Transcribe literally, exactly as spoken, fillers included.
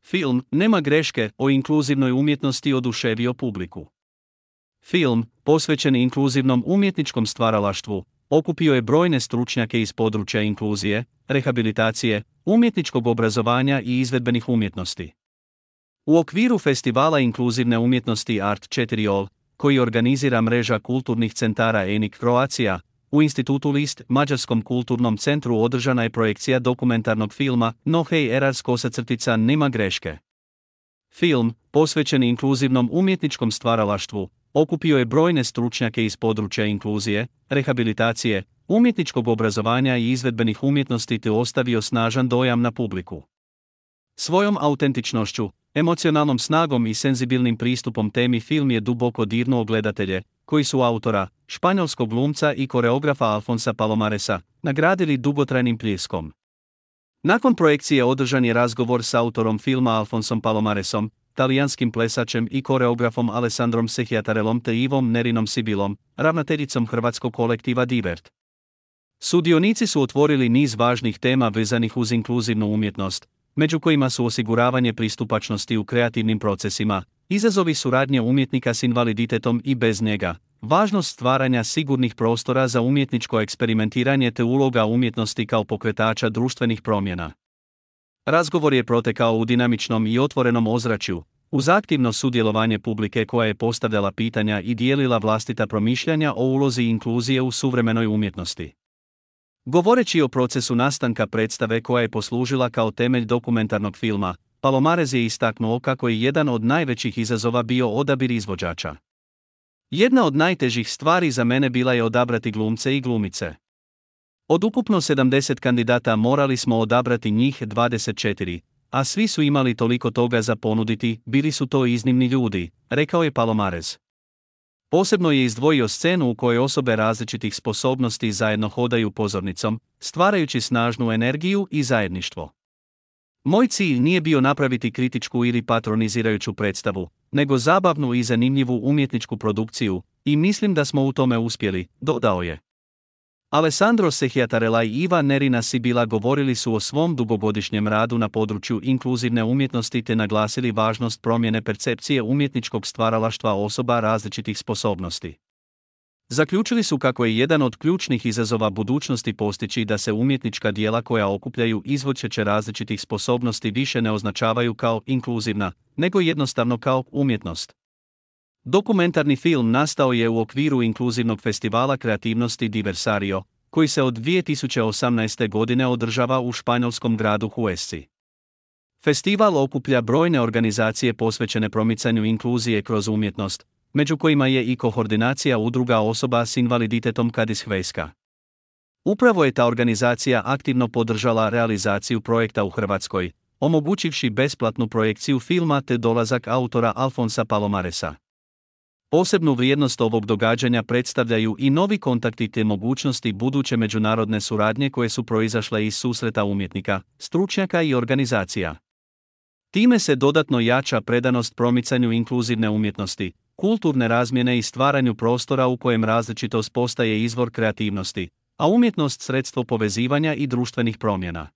Film Nema greške o inkluzivnoj umjetnosti oduševio publiku. Film, posvećen inkluzivnom umjetničkom stvaralaštvu, okupio je brojne stručnjake iz područja inkluzije, rehabilitacije, umjetničkog obrazovanja i izvedbenih umjetnosti. U okviru festivala inkluzivne umjetnosti Art četiri O L, koji organizira mreža kulturnih centara E N I C Croatia, u Institutu List, Mađarskom kulturnom centru, održana je projekcija dokumentarnog filma No Hej Erars kosacrtica Nema greške. Film, posvećen inkluzivnom umjetničkom stvaralaštvu, okupio je brojne stručnjake iz područja inkluzije, rehabilitacije, umjetničkog obrazovanja i izvedbenih umjetnosti te ostavio snažan dojam na publiku. Svojom autentičnošću, emocionalnom snagom i senzibilnim pristupom temi film je duboko dirnuo gledatelje, koji su autora, španjolskog glumca i koreografa Alfonsa Palomaresa, nagradili dugotrajnim pljeskom. Nakon projekcije održan je razgovor s autorom filma Alfonsom Palomaresom, talijanskim plesačem i koreografom Alessandrom Sehiatarelom te Ivom Nerinom Sibilom, ravnateljicom hrvatskog kolektiva Divert. Sudionici su otvorili niz važnih tema vezanih uz inkluzivnu umjetnost, među kojima su osiguravanje pristupačnosti u kreativnim procesima, izazovi suradnje umjetnika s invaliditetom i bez njega, važnost stvaranja sigurnih prostora za umjetničko eksperimentiranje te uloga umjetnosti kao pokretača društvenih promjena. Razgovor je protekao u dinamičnom i otvorenom ozračju, uz aktivno sudjelovanje publike koja je postavljala pitanja i dijelila vlastita promišljanja o ulozi inkluzije u suvremenoj umjetnosti. Govoreći o procesu nastanka predstave koja je poslužila kao temelj dokumentarnog filma, Palomares je istaknuo kako je jedan od najvećih izazova bio odabir izvođača. Jedna od najtežih stvari za mene bila je odabrati glumce i glumice. Od ukupno sedamdeset kandidata morali smo odabrati njih dvadeset četiri, a svi su imali toliko toga za ponuditi, bili su to iznimni ljudi, rekao je Palomares. Posebno je izdvojio scenu u kojoj osobe različitih sposobnosti zajedno hodaju pozornicom, stvarajući snažnu energiju i zajedništvo. Moj cilj nije bio napraviti kritičku ili patronizirajuću predstavu, nego zabavnu i zanimljivu umjetničku produkciju, i mislim da smo u tome uspjeli, dodao je. Alessandro Sehiatarela i Iva Nerina Sibila govorili su o svom dugogodišnjem radu na području inkluzivne umjetnosti te naglasili važnost promjene percepcije umjetničkog stvaralaštva osoba različitih sposobnosti. Zaključili su kako je jedan od ključnih izazova budućnosti postići da se umjetnička djela koja okupljaju izvođače različitih sposobnosti više ne označavaju kao inkluzivna, nego jednostavno kao umjetnost. Dokumentarni film nastao je u okviru inkluzivnog festivala kreativnosti Diversario, koji se od dvije tisuće osamnaeste. godine održava u španjolskom gradu Huesci. Festival okuplja brojne organizacije posvećene promicanju inkluzije kroz umjetnost, među kojima je i koordinacija udruga osoba s invaliditetom Kadis Hvejska. Upravo je ta organizacija aktivno podržala realizaciju projekta u Hrvatskoj, omogućivši besplatnu projekciju filma te dolazak autora Alfonsa Palomaresa. Posebnu vrijednost ovog događanja predstavljaju i novi kontakti te mogućnosti buduće međunarodne suradnje koje su proizašle iz susreta umjetnika, stručnjaka i organizacija. Time se dodatno jača predanost promicanju inkluzivne umjetnosti, kulturne razmjene i stvaranju prostora u kojem različitost postaje izvor kreativnosti, a umjetnost sredstvo povezivanja i društvenih promjena.